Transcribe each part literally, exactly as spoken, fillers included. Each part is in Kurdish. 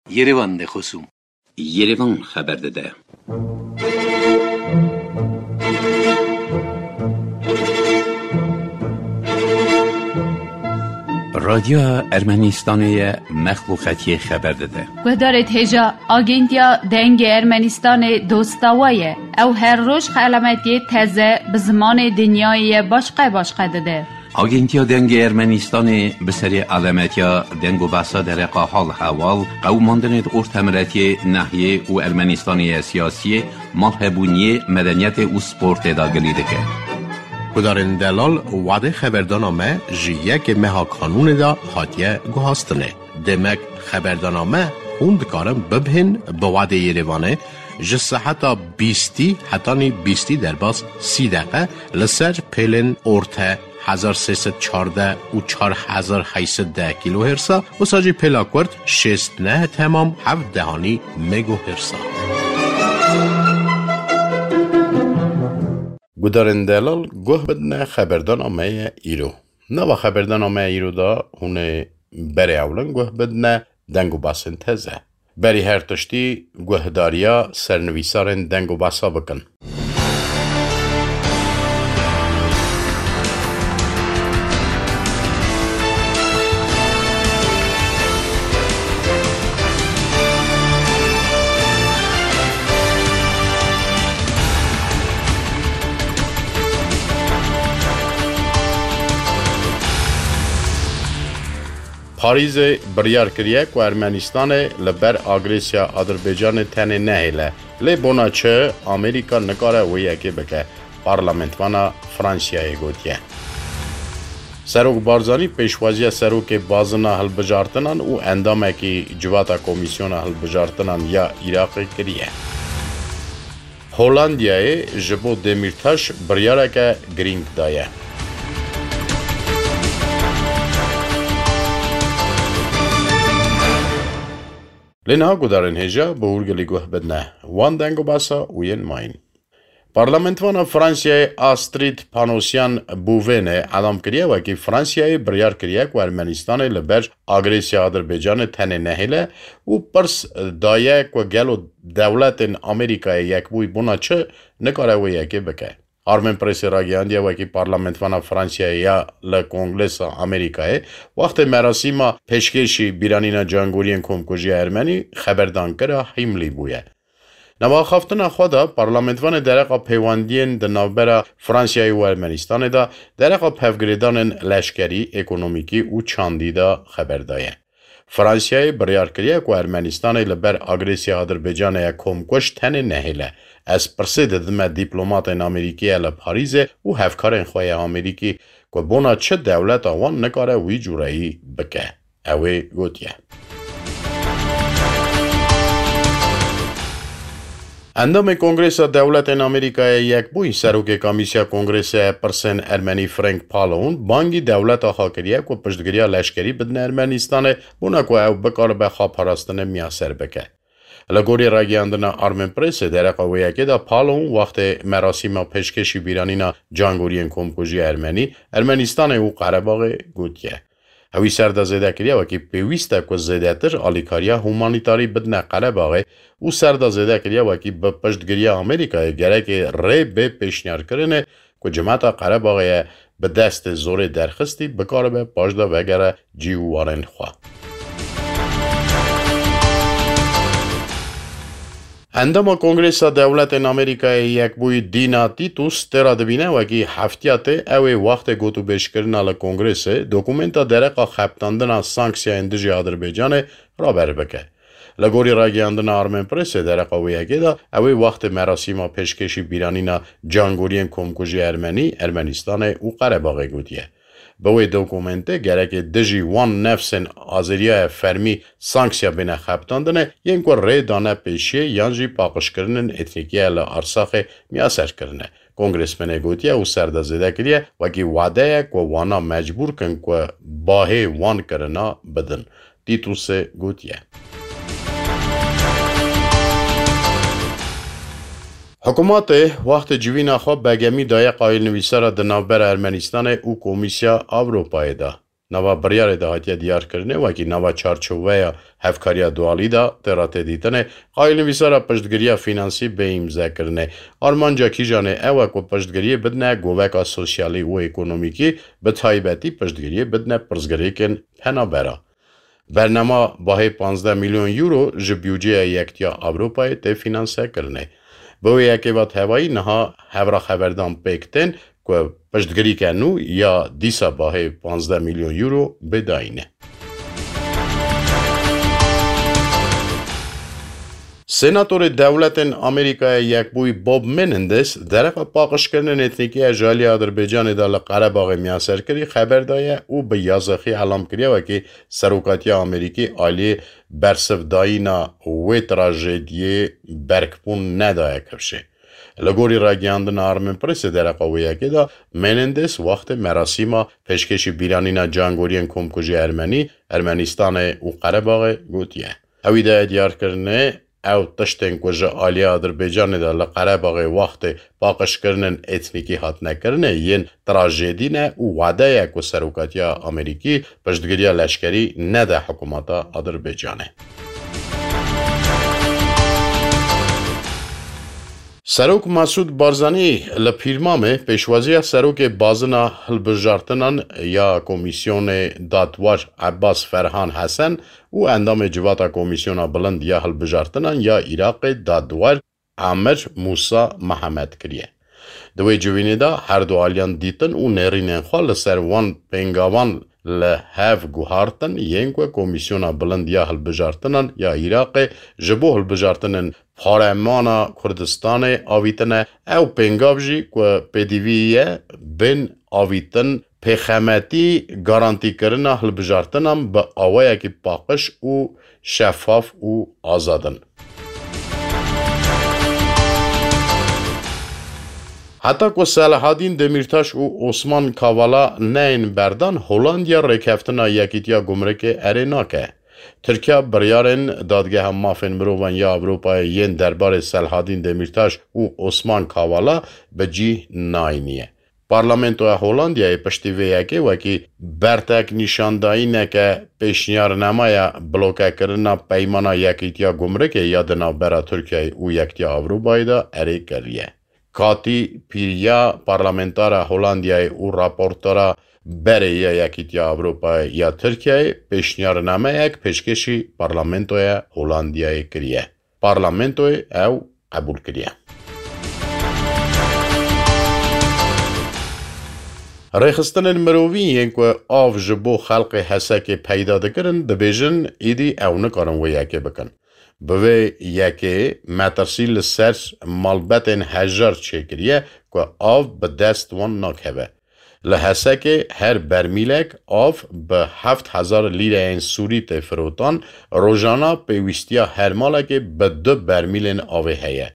Yerevan de xosûm. Yerevan xeber dide. Radyoya Ermenistanê ye, mexluqetiyê xeber dide. Guhdarê hêja, Agentiya Dengê Ermenistanê dosta we ye. Ew her roj xelametiyê teze bi zimanê dinyayê ye başqe başqe dide. Agentiya Dengê Ermenistanê bi serê alemetiya deng û behsa dereqa hal hewal, qewimandinê di ortemiletiyê, nehiyê û Ermenistanê ye siyasiyê, malhebûniyê, medeniyetê û sportê de gilî dike. Gudarên delal, wadê xeberdana me ji yekê meha kanûnê de hatiye guhastinê. Demek xeberdana me hûn dikarin bibihên bi wadê Yerevanê ji seheta bîstî hetanî bîstî derbas sî deqe li ser pêlên orte hezar sê sed çardeh û çar hezar heyt sed deh kîlohêrsa, wisa jî pêla kurt şêst neh temam heft dehanî megohêrsa. Gudarên delal, guh bidine xeberdana me ye îro. Nava xeberdana me îro de hûn ê berê ewlin guh bidine deng û basên teze. Berî her tiştî guhdariya sernivîsarên deng û basa bikin. Parîzê biryar kiriye ku Ermenistanê li ber agresiya Adirbaycanê tenê nehêle. Lê bona çi Amerîka nikare wê yekê bike, parlamentvana Fransiyayê gotiye. Serok Barzanî pêşwaziya serokê bazina hilbijartinan û endamekî civata Komîsyona Hilbijartinan ya Iraqê kiriye. Holandiyayê ji bo Demîrtaş biryareke girîng daye. Lê niha gudarên hêja bi hûrgilî guh bidine wan deng û basa û yên mayîn. Parlamentvana Fransiyayê Astrid Panosyan Buvêne elam kiriye wekî Fransiyayê biryar kiriye ku Ermenistanê li ber agresiya Adirbaycanê tenê nehêle û pirs daye ku gelo dewletên Amerîkayê Yekbûyî bona çi nikare wê yekê bike. Armin Presê ragihandiye wekî parlamentvana Fransiyayê ya li Kongresa Amerîkayê, wextê merasîma pêşkêşî bîranîna cangoriyên komkujiya Ermenî xeberdankira Hîmlî bûye. Nava axaftina xwe de, parlamentvanê dereqa pêwendiyên di navbera Fransiyayê û Ermenistanê de, dereqa pevgirêdanên leşkerî, ekonomîkî û çandî de xeber daye. Fransiyayê biryar kiriye ku Ermenistanê li ber agresiya Adirbaycanê ye komkuj tenê nehêle. Ez pirsê didime dîplomatên Amerîkî ye li Parîzê û hevkarên xwe yê Amerîkî ku bona çi dewleta wan nikare wî cûreyî bike. Ew ê gotiye. Endamê Kongresa Dewletên Amerîkayê Yekbûyî, serokê Komîsiya Kongresê pirsên Ermenî Frank Pallone, bangî dewleta xwe kiriye ku piştgiriya leşkerî bidine Ermenistanê, bona ku ew bikaribe xwe parastinê miyaser bike. Li gorî ragihandina Armin Pressê, dereqa wê yekê de Pallone wextê merasîma pêşkêşî bîranîna cangoriyên komkujiya Ermenî, Ermenistanê û Qerebaxê gotiye. Ewî ser de zêde kiriye wekî pêwîst e ku zêdetir alîkariya humanîtarî bidine Qerebaxê û ser de zêde kiriye wekî bi piştgiriya Amerîkayê gerekê rê bê pêşniyarkirinê ku cimeta Qerebaxê ye bi destê zorê derxistî bikaribe paş de vegere cî û warên xwe. Endama Kongresa Dewletên Amerîkayê Yekbûyî Dina Titus tê re dibîne wekî heftiya tê ew ê wextê gotûbêjkirina li Kongrêsê dokumenta dereqa xebitandina sanksiyayên dijî Adirbaycanê raber bike. Li gorî ragihandina Armen Pressê dereqa wê yekê de ew ê wextê merasîma pêşkêşî bîranîna cangoriyên komkujiya Ermenî, Ermenistanê û Qerebaxê gotiye. Bi wê dokumentê gerekê dijî wan nefsên azeriya ye fermî sanksiya bêne xebitandinê, yên ku rê dane pêşiyê yan jî paqijkirinên etnîkî ye li Arsaxê miyaser kirine. Kongresmenê gotiye û ser de zêde kiriye, wekî wade ye ku wana mecbûr kin ku bahê wan kirina bidin. Tîtusê gotiye. Hikûmetê wextê civîna xwe begemî daye qayîlnivîsara di navbera Ermenistanê û Komîsya Ewropayê de. Nava biryarê de hatiye diyarkirinê, wekî nava çarçoveya hevkariya dualî de tê re tê dîtinê, qayîlnivîsara piştgiriya fînansî bê îmzekirinê. Armanca kîjanê ew e ku piştgiriyê bidine goveka sosyalî û ekonomîkî, bi taybetî piştgiriyê bidine pirsgirêkên penabera. Bernama bahê panzdeh milyon euro ji budceya Yektiya Ewropayê tê fînansekirinê. Bi wê yekê ve tevayî niha hevra xeberdan pêk tên ku piştgirîke nû ya dîsa bahê panzdeh milyon euro bê dayîne. Senatorê Dewletên Amerîkaya Yekbûyî Bob Menendez dereqa paqijkirinên etnîkî ya ji alî Adirbaycanê de li Qerebaxê miyaserkirî xeber daye û bi yazexî elam kiriye wekî serokatiya Amerîkî alî bersivdayîna wê trajediyê berkbûn nedaye kifşê. Li gorî ragihandina Armenpressê dereqa wê yekê de Menendez wextê merasîma pêşkêşî bîranîna cangoriyên komkujî Ermenî, Ermenistanê û Qerebaxê gotiye. Ewî daye diyarkirinê ew tiştên ku ji alî Adirbaycanê de li Qerebaxê wextê paqijkirinên etnîkî hatine kirinê yên trajedî ne û wade ye ku serokatiya Amerîkî piştgiriya leşkerî nede hikûmeta Adirbaycanê. Serok Mesûd Barzanî li Pîrmamê pêşwaziya serokê bazina hilbijartinan ya Komîsyonê Dadwar Ebbas Ferhan Hesen û endamê Civata Komîsyona Bilind ya Hilbijartinan ya Iraqê Dadwar Amir Mûsa Mihemed kiriye. Di wê civînê de her du aliyan dîtin û nêrînên xwe li ser wan pêngavan li hev guhartin, yên ku Komîsyona Bilind ya Hilbijartinan ya Iraqê ji bo hilbijartinên paremana Kurdistanê avîtine. Ew pêngav jî ku pêdivî ye bên avîtin, pêxemetî, garantîkirina hilbijartinan bi awayekî paqij û şefaf û azad in. Heta ku Selahadîn Demîrtaş û Osman Kavala neyên berdan, Holandiya rêkeftina Yekîtiya Gumrikê erê nake. Tirkiya biryarên Dadgeha Mafên Mirovan ya Ewropayê yên derbarê Selahadîn Demîrtaş û Osman Kavala bi cih nayniye. Parlamentoya Holandiyayê piştî vê yekê wekî bertek nîşandayîneke pêşniyarnamaya blokekirina peymana Yekîtiya Gumrikê ya di navbera Tirkiyeyê û Yekîtiya Ewropayê de erê kiriye. Katî Pîriya, parlamentara Holandiyayê û raportera berê ya Yekîtiya Ewropayê ya Tirkiyeyê pêşniyarnameyek pêşkêşî parlamentoya Holandiyayê kiriye. Parlamentoyê ew qebûl kiriye. Rêxistinên mirovî yên ku av ji bo xelkê Hesekê peyda dikirin, dibêjin, îdî ew nikarin wê yekê bikin. Bi vê yekê metirsî li ser malbetên hejar çêkiriye ku av bi dest wan nakeve. Li Hesekê her bermîlek av bi heft hezar lîreyên sûrî tê firotan, rojana pêwîstiya her malekê bi du bermîlên avê heye.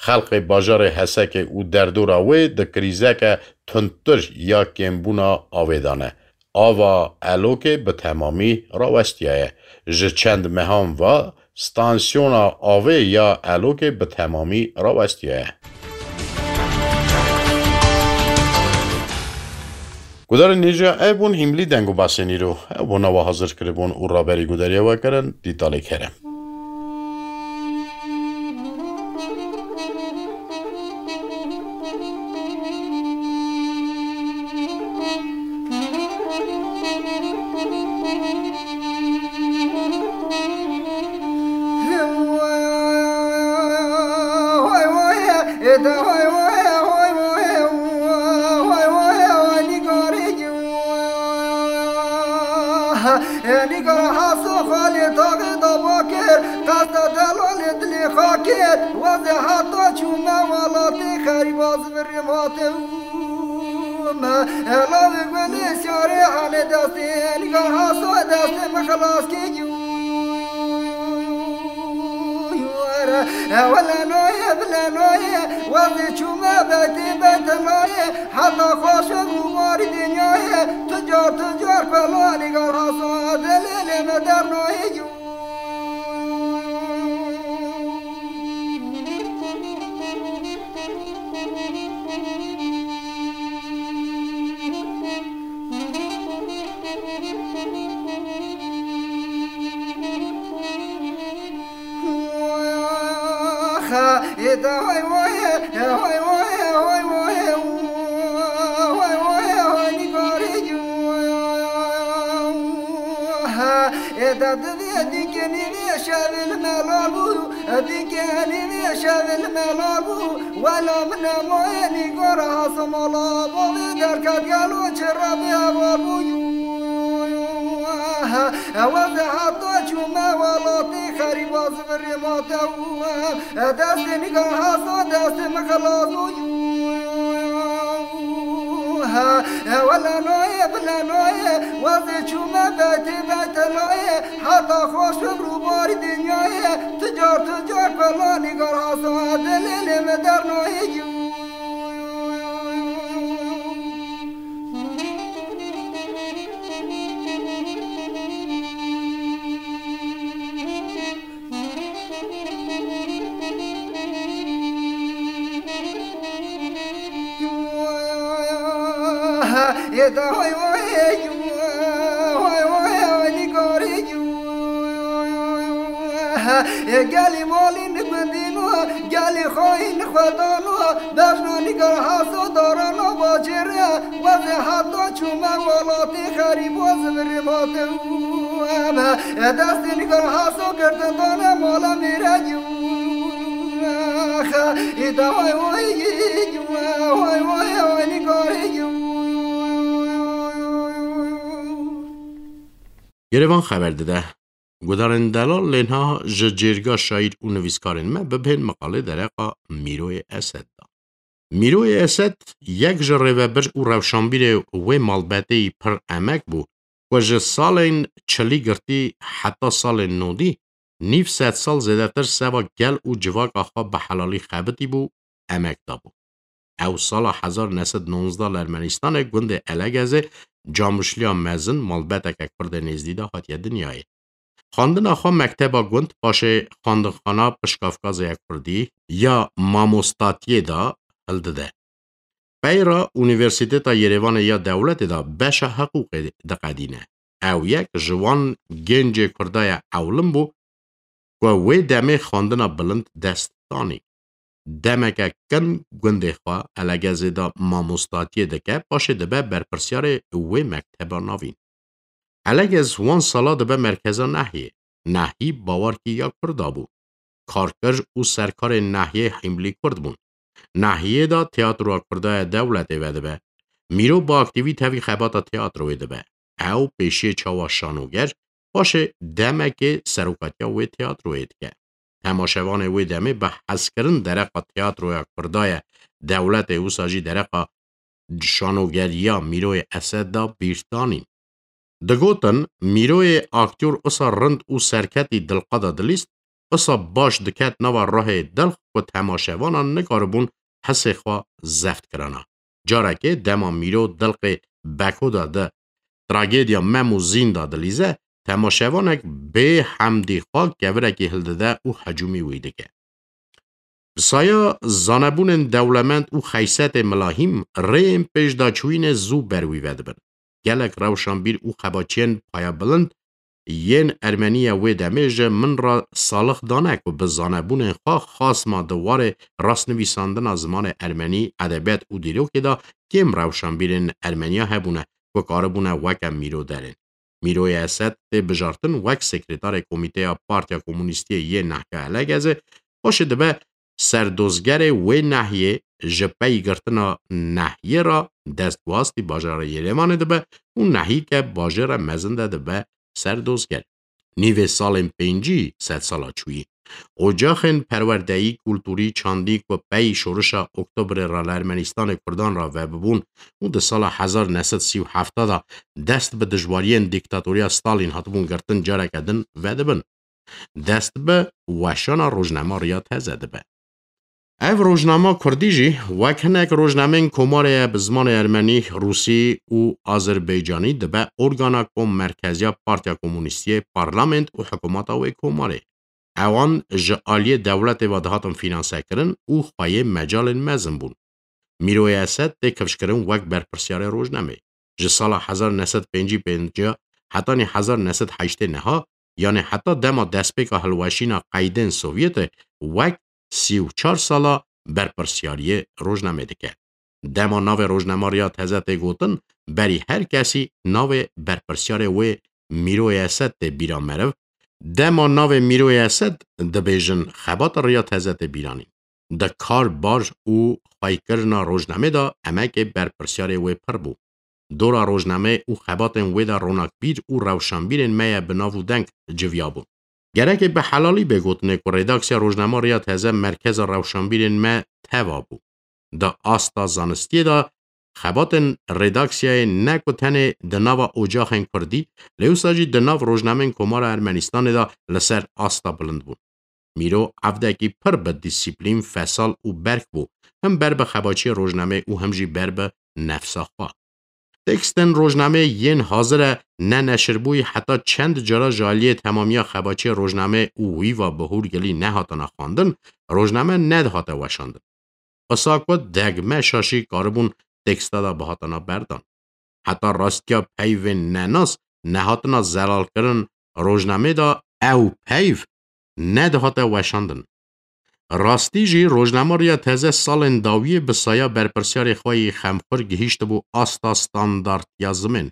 Xelkê bajarê Hesekê û derdora wê di krîzeke tundtir ya kêmbûna avê de ne. Ava Elokê bi temamî rawestiyaye. Ji çend mehan ve stansiyona avê ya Elokê bi temamî rawestiyaye. Gudarên hêja ev bûn hîmlî deng û basên îro. Ew bona we hazir kiribûn û raberî gudariya we kirin, Dîtalê Kerem. Nîgar Haso xalê taxê da bakir, qesta delalê dilê xakir, wazê heta çûme welatê xerîba zivirê mate û me. Elavê gulê siyarê halê destê, Nîgar Haso destê min xilas kê. Wele noye, bile noye, wazê çûme betê bete noye, heta xweşe rûmarî dinyayê, tu car, tu car pela Nîgar Haso, dilê lê me dernoyê. Eda divê dikenî vê şevin melal bû, dikenî vê şevin melal bû. Wela min nemaye nîgor hasa mala bavê derket gelo çi rabê heval bû. Ewa ze heta çûme welatê xerîba zivirê mate û destê nîgor hasa destê min xilas bû. Wela nayê bile nayê wezê çûme beytê beyte nayê. Heta xweş bim rûbarî dinyayê, tu car tu car pelanî gar hasa dilê lê me dernayê. Ê da hoy hoy, hoy hoy, hoy nîgarî. Ê gelî malî nigundîno, gelî xayî nixwedano, bejna nîgar haso darana bacêre, wezê heta çûme welatê xerîb wezê virê mate û em. Ê destê nîgar haso girtin dane mala mêre. Ê da hoy hoy, hoy hoy, hoy nîgarî. Yerevan xeber dide. Gudarên delal lê niha ji cêrga şaîr û nivîskarên me bibihên miqalê dereqa Mîroyê Esed de. Mîroyê Esed yek ji rêvebir û rewşanbîrê wê malbeteyî pir emek bû ku ji salên çilî girtî heta salên nodî nîv sed sal zêdetir seva gel û civaka xwe bi helalî xebitî bû, emek dabû. Ew sala hezar neh sed nonzdeh li Ermenîstanê gundê Elegezê camuşliya mezin malbeteke Kurdê nêzdî de hatiye dinyayê. Xwendina xwe mekteba gund, paşê xwendinxana Pişkafkazê ya Kurdî ya mamostatiyê de hildide. Pey re Unîversîteta Yerêvanê ya dewletê de beşa hiqûqê diqedîne. Ew yek ji wan gencê Kurda ya ewlin bû ku wê demê xwendina bilind dest danî. Demeke kin gundê xwe Elegezê de mamostatiyê dike, paşê dibe berpirsyarê wê mekteba navîn. Elegez wan sala dibe merkeza Nehiyê. Nehî bawerkî ya Kurda bû. Karker û serkarên Nehiyê hîmlî Kurd bûn. Nehiyê de teatroya Kurda ya dewletê vedibe. Mîro bi aktîvî tevî xebata teatroyê dibe. Ew pêşiyê çawa şanoger, paşê demekê serokatiya wê teatroyê dike. Temaşevanê wê demê bi hezkirin dereqa teatroya Kurda ya dewletê, wisa jî dereqa şanogeriya Mîroyê Esed de bîr danîn. Digotin, Mîroyê aktyor usa rind û serketî dilqada dilîst, usa baş diket nava ruhê dilq ku temaşevanan nikaribûn hisê xwe zeft kirana. Carekê dema Mîro dilqê Beko de di tragediya Mem û Zîn de dilîze, temaşevanek bê hemdî xwe kevirekî hildide û hecûmî wî dike. Bi saya zanebûnên dewlemend û xeysetê milahîm, rêyên pêşdaçûyînê zû ber wî vedibin. Gelek rewşanbîr û xebatçiyên payebilind yên Ermenî ya wê demê ji min re salix dane ku bi zanebûnên xwe xasma di warê rastnivîsandina zimanê ermenî, edebiyat û dîrokê de kêm rewşanbîrên Ermeniya hebûne ku karibûne weke Mîro derên. Mîroyê Esed tê bijartin wek sekretarê Komîteya Partiya Komûnîstiyê yê Nehya Elegezê, paşê dibe serdozgerê wê nehiyê ji pey girtina nehiyê re dest bi wastî bajarê Yerêvanê dibe û nehî ke bajêre mezin de dibe serdozger. Nîvê salên pêncî sedsala çûyî. Ocaxên perwerdeyî, kulturî, çandî ku pey şorişa Oktobrê re li Ermenîstanê Kurdan re vebibûn û di sala hezar neh sed sî û heft de dest bi dijwariyên dîktatoriya Stalîn hatibûn girtin careke din vedibin. Dest bi weşana rojnama Riya Teze dibe. Ev rojnama kurdî jî wek hinek rojnameyên komarê ye bi zimanê ermenî, rûsî û azerbaycanî dibe organa kommerkeziya Partiya Komûnîstiyê, parlament û hikûmeta wê komarê. Ewan ji aliyê dewletê ve dihatin fînansekirin û xweyê mecalên mezin bûn. Mîroyê Esed tê kifşkirin wek berpirsiyarê rojnamê. Ji sala hezar neh sed pêncî pênc hetanî hezar neh sed heştê neha, yanê heta dema destpêka hilweşîna qeydên Sovyetê wek sî û çar sala berpirsiyariyê rojnamê dike. Dema navê rojnema Riya Teze tê gotin, berî her kesî navê berpirsiyarê wê Mîroyê Esed tê bîra meriv. Dema navê Mîroyê Esed dibêjin, xebata Riya Teze tê bîranîn. Di kar bar û xweykirina rojnamê de emekê berpirsiyarê wê pir bû. Dora rojnameyê û xebatên wê de ronakbîr û rewşanbîrên me ye bi nav û deng civiyabûn. Gerek e bi helalî bê gotinê ku redaksiya rojnama Riya Teze merkeza rewşanbîrên me teva bû. Di asta zanistiyê de xebatên redaksiyayê ne ku tenê di nava ocaxên kurdî, lê wisa jî di nav rojnameyên Komara Ermenistanê de li ser asta bilind bûn. Mîro evdekî pir bi dîsîplîn, fesal û berk bû, him ber bi xebaçiyê rojnameyê û him jî ber bi nefsa xwe. Tekstên rojnameyê yên hazir e ne neşirbûyî heta çend cara ji aliyê temamiya xebaçiyê rojnameyê û wî va bi hûrgilî nehatine xwendin, rojname nedihate weşandin. Qisa ku degme şaşî karibûn teksta de bihatana berdan. Heta rastiya peyvên nenas nehatina zelalkirin rojnamê de ew peyv nedihate weşandin. Rastî jî rojnama Riya Teze salên dawiyê bi saya berpirsiyarê xwe yê xemxur gihîştibû asta standartiya zimên.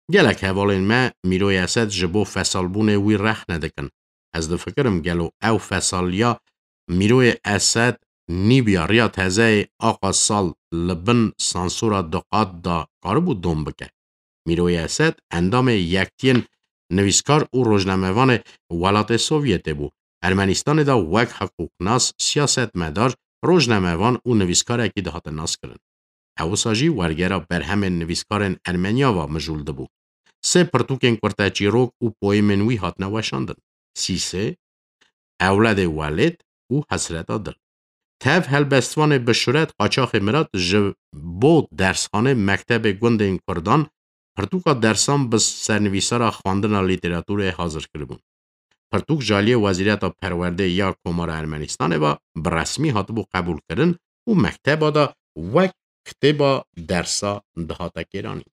Gelek hevalên me Mîroyê Esed ji bo fesalbûnê wî rexne dikin. Ez difikirim gelo ew fesaliya Mîroyê Esed nîbiya Riya Tezeyê Aqa Sal li bin sansûra duqat da karibû dom bike. Mîroyê Esed endamê Yektiyên Nivîskar û Rojnamevanê Welatê Sovyetê bû. Ermenistanê de wek hiqûqnas, siyasetmedar, rojnamevan û nivîskarekî dihate naskirin. Ew wisa jî wergera berhemên nivîskarên Ermeniya va mijûl dibû. Sê pirtûkên kurteçîrok û poêmên wî hatine weşandin. Sîsê, Ewledê Welêt û Hesreta Dil. Tev helbestvanê bi şuret Qaçaxê Mirat ji bo dersxanê mektebê gundên kurdan pirtûka dersan bi sernivîsara xwendina lîteraturê hazir kiribûn. Pirtûk ji aliyê Wezîriyeta Perwerdê ya Komara Ermenistanê ve bi resmî hatibû qebûlkirin û mekteba de wek kitêba dersa dihate kêranîn.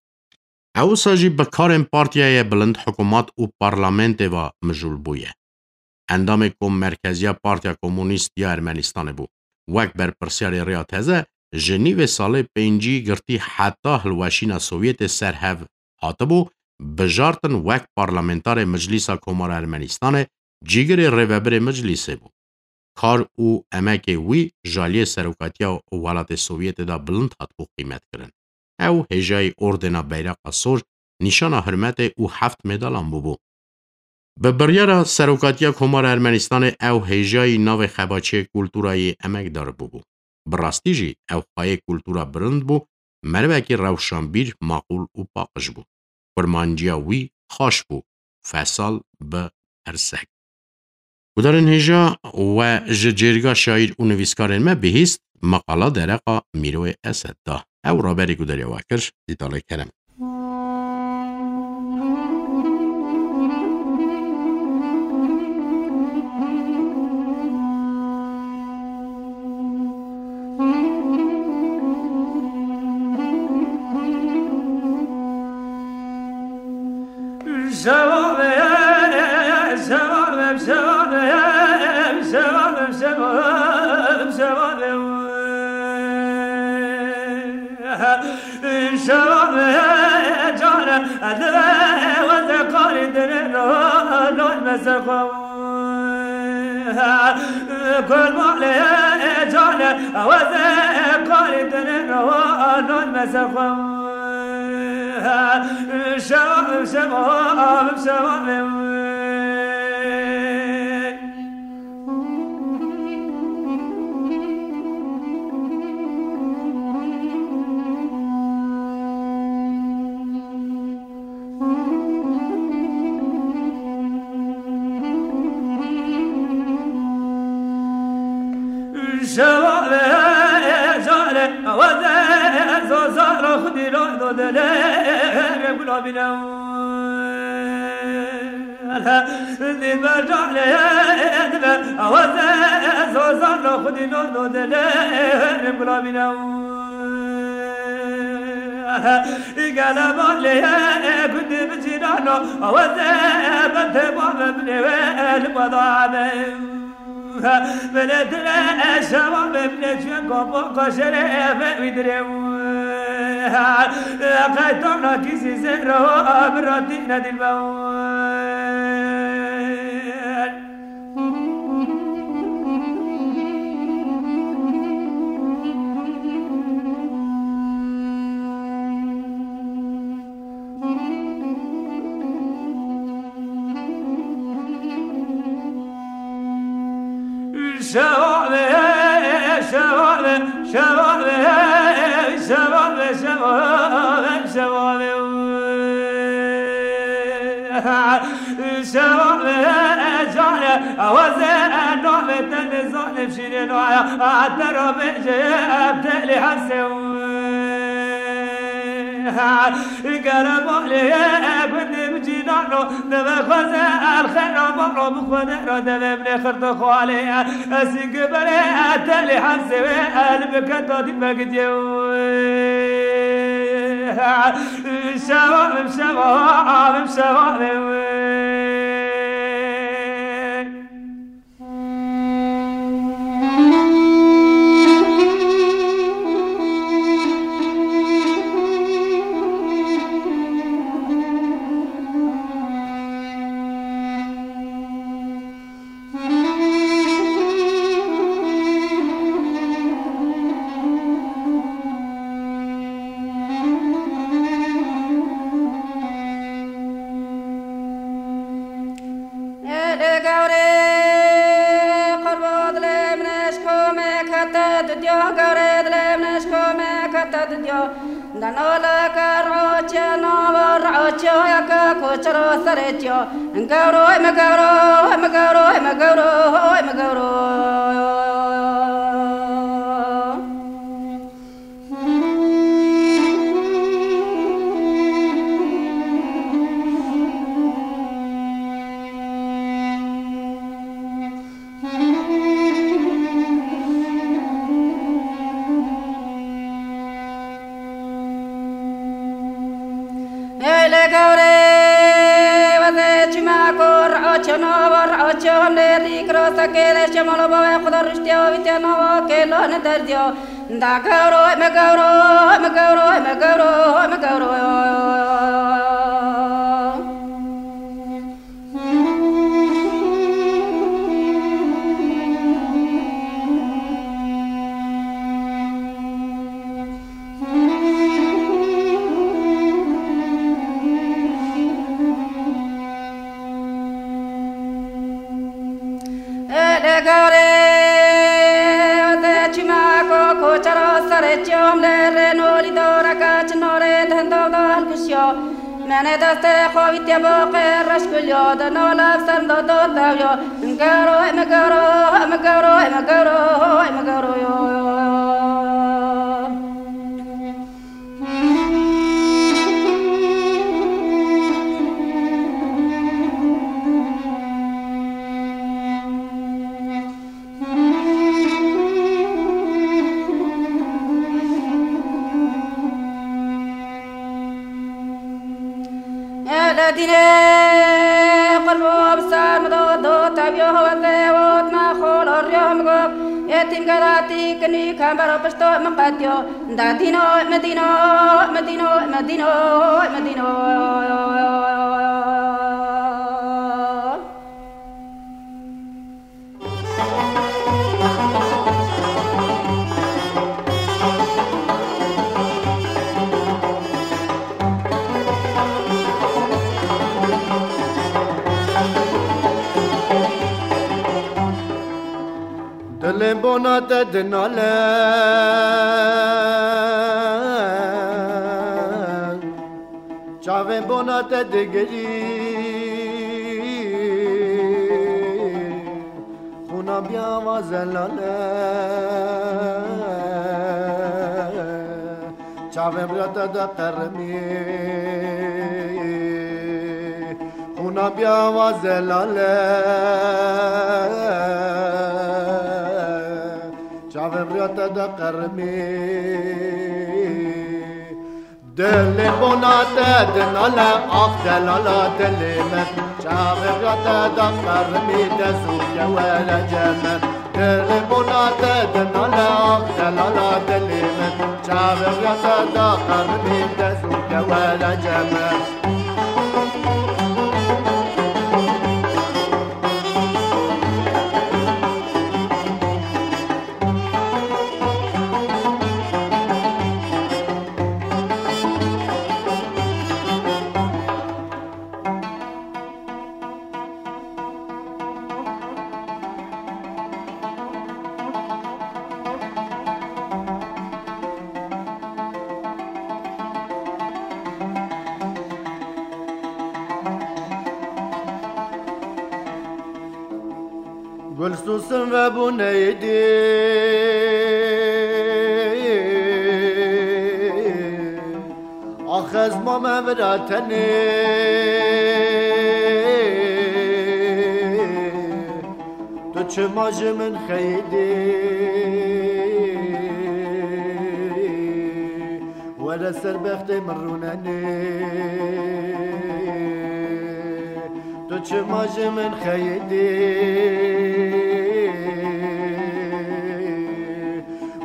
Ew wisa jî bi karên partiyayê bilind hikûmat û parlamentê ve mijûl bûye. Endamê Kommerkeziya Partiya Komûnîst ya Ermenistanê bû. Wek berpirsiyarê Riya Teze, ji nîvê salê pêncî girtî heta hilweşîna Sovyetê ser hev hatibû bijartin, wek parlamentarê Miclîsa Komara Ermenistanê cîgirê rêvebirê Miclîsê bû. Kar û emekê wî ji aliyê serokatiya welatê Sovyetê de bilind hatibû qîmetkirin. Ew hêjayî Ordena Beyraqa Sor, nîşana hurmetê û heft medalan bûbû. Bi biryara Serokatiya Komara Ermenistanê ew hêjayî navê xebaçiyê kultura yê emekdar bûbû. Bi rastî jî ew xwayê kultura bilind bû, merivekî rewşanbîr, maqûl û paqij bû. Kurmanciya wî xaş bû, fesal bi pirsek. Gudarên hêja, we ji cêrga şaîr û nivîskarên me bihîst, meqala dereqa Mîroyê Esed da. Ew raberî gudariya we kir, Dîtalê Kerem. Aweze bente bavê min ê wê li bada be. Belê dire şeva be min ê çiye kapo kaşerê ve wî dire. Qeytana kîsî zêro bi ratî nedîl be. Şevale, şevale, şevale, şevale, şevale, şevale. Şevale cane, aweze navê te nizanim şîrîn aya, te ra bêje em telî hesê. Gere malê gundê min cînano, deve xweze el xera baro bi xwede ra deve min ê xirto xwalê. Ez ê giberê telî hesê wê el bike dadî me gidiye. Şevabim, şevabim, şevabim. Ê lê gewrê, qurbo dilê min eşko me kete didiyo, gewrê dilê min eşko me kete didiyo. Dano leke roçe nava roçe yeke koçero serê çiyo. Gewro, me gewro, me gewro, me gewro, me gewro. Ey lê gewrê, wezê çima ku roço nava roço lê rîk ro sekê lê şemalo bavê xwe de riştiya wî tê nava kêlo ne derdiya. Da gewro, me gewro, me gewro, me gewro, me gewro. Ê lê gewrê, wezê çima ku koçero serê çiyom lê rê nolî doreke çi norê di hindo de hilkişiyo. Menê destê xwe wî tê bo qê reş kuliyo, di no lev ser do do tewiyo. Gewro, me gewro, me gewro, me gewro, me gewro yo. Ele dînê qurbo bi ser min do, do teviyo wezê ot me xolo riyo min got, êtîm gelatî kinî kembero pişto min qetiyo. Da dîno, me dîno, me dîno, me dîno, me dîno. Dilê bona te dinale. Çavên bona te digirî, xûna biya wa zelal e. Çavên riya te de qerimî, xûna biya wa zelal e. Çavên riya te de qerimî. Dilê bona te dinale, ax delala dilê min. Çavê ya te da qermî, te zû ke were cem min. Dilê bona te dinale, ax delala dilê min. Çavê ya te da qermî, te zû ke were cem min. Gul susin ve bû neydi. Ax ez mame vira tenê. Tu çima ji min xeyidî? Were ser bextê min rûnenê. Tu çima ji min xeyidî?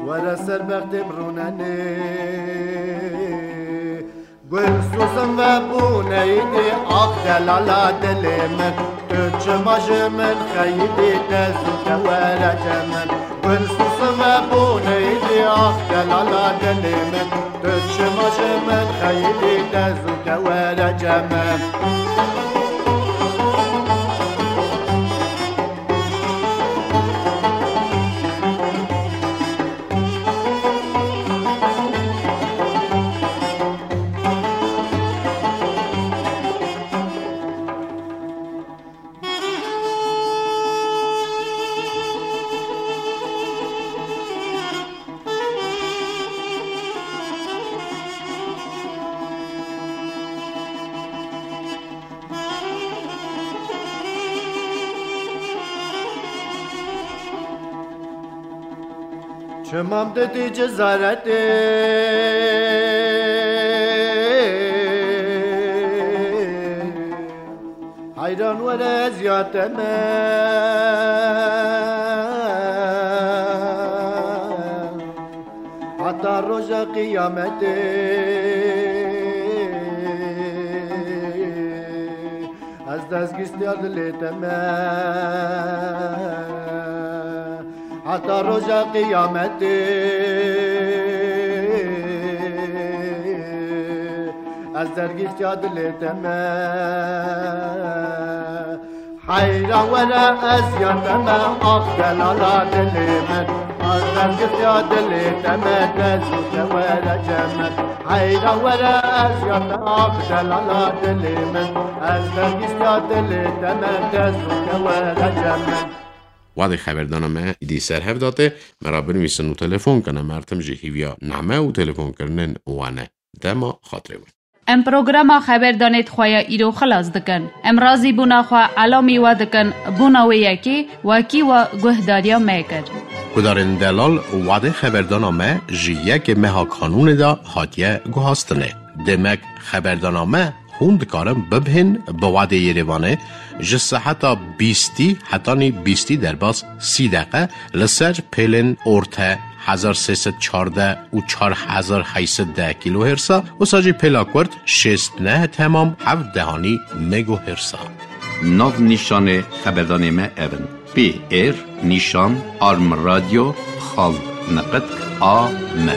Were ser bextê min rûnenê. Gul susin ve bû neydi, ax delala dilê min. Tu çima ji min xeyidî, te zû ke were cem min. Gul susin ve bû neydi, ax delala dilê min. Tu çima ji min xeyidî, te zû ke were cem min. Çimam didî cezaretê. Heyran were ez ya te me. Heta roja qiyametê ez destgîstiya dilê te me. Heta roja qiyametê ez dergîstiya dilê te me. Heyra were ez ya te me, ax delala dilê min. Ez dergîstiya dilê te me, te zû ke were cem min. Heyra were ez ya te, ax delala dilê min. Ez dergîstiya dilê te me, te zû ke were cem min. Wadê xeberdana me îdî ser hev date, me ra binivîsin û telefon kene. Mertim jî hîviya name û telefonkirinên wane. Dema xatirê we. Em programa xeberdanê xwe ya îro xilas dikin. Em razîbûna xwe elamî we dikin, bona wê yekê wekî we guhdariya me kir. Gudarên delal, wadê xeberdana me ji yekê meha kanûnê de hatiye guhastinê. Demek xeberdana me hûn dikarin bibihên bi wadê Yerêvanê ji seheta bîstî hetanî bîstî derbas sî deqe li ser pêlên orte hezar sê sed çardeh û çar hezar heyt sed deh kîlohêrsa, wisa jî pêla kurt şêst neh temam heft dehanî megohêrsa. Nav nîşanê xeberdanê me ev in: P R nîşan arm radyo xal niqitk a m.